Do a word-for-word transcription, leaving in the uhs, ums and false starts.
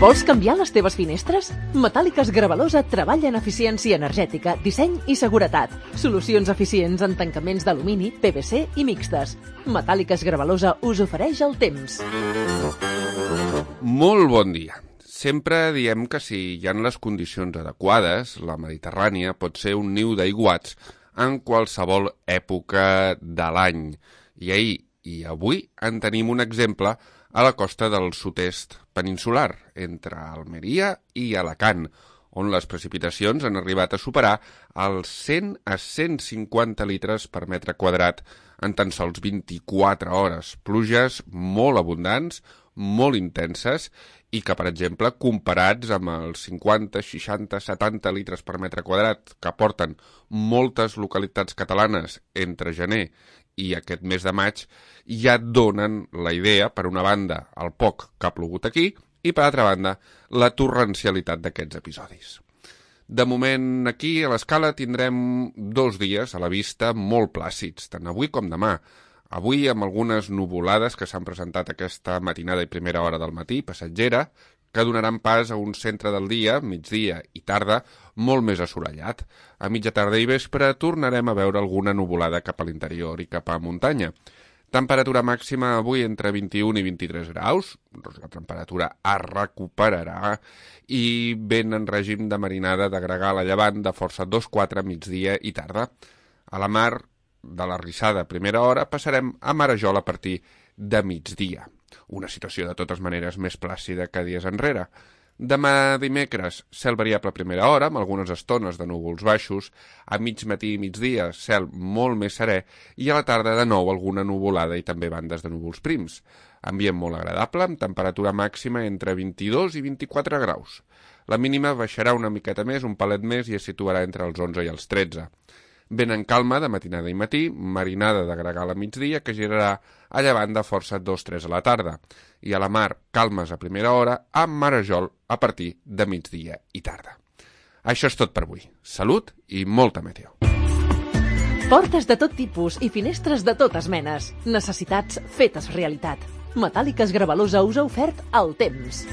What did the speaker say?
Vols canviar les teves finestres? Metàl·liques Gravalosa treballa en eficiència energètica, disseny i seguretat. Solucions eficients en tancaments d'alumini, P V C i mixtes. Metàl·liques Gravalosa us ofereix el temps. Molt bon dia. Sempre diem que si hi ha les condicions adequades, la Mediterrània pot ser un niu d'aiguats en qualsevol època de l'any. I ahir i avui en tenim un exemple a la costa del sud-est peninsular, entre Almeria i Alacant, on les precipitacions han arribat a superar els cent a cent cinquanta litres per metre quadrat en tan sols vint-i-quatre hores. Pluges molt abundants, molt intenses, i que, per exemple, comparats amb els cinquanta, seixanta, setanta litres per metre quadrat que aporten moltes localitats catalanes entre gener i aquest mes de maig, ja donen la idea, per una banda, el poc que ha plogut aquí, i per altra banda, la torrencialitat d'aquests episodis. De moment, aquí, a l'Escala, tindrem dos dies a la vista molt plàcids, tant avui com demà. Avui, amb algunes nuvolades que s'han presentat aquesta matinada i primera hora del matí, passatgera, que donaran pas a un centre del dia, migdia i tarda, molt més assolellat. A mitja tarda i vespre tornarem a veure alguna nuvolada cap a l'interior i cap a muntanya. Temperatura màxima avui entre vint-i-un i vint-i-tres graus, doncs la temperatura es recuperarà, i vent en règim de marinada de gregal a llevant de força dos quatre migdia i tarda. A la mar de la Rissada a primera hora passarem a Marajol a partir de migdia. Una situació de totes maneres més plàcida que dies enrere. Demà dimecres, cel variable a primera hora, amb algunes estones de núvols baixos, a mig matí i migdia, cel molt més serè, i a la tarda de nou alguna nuvolada i també bandes de núvols prims. Ambient molt agradable, amb temperatura màxima entre vint-i-dos i vint-i-quatre graus. La mínima baixarà una miqueta més, un palet més, i es situarà entre els onze i els tretze. Vent en calma de matinada i matí, marinada de gregal a migdia, que girarà a llevant de força dos tres a la tarda. I a la mar, calmes a primera hora, amb Marajol a partir de migdia i tarda. Això és tot per avui. Salut i molta meteo. Portes de tot tipus i finestres de totes menes. Necessitats fetes realitat. Metàl·liques Gravalosa us ha ofert el temps.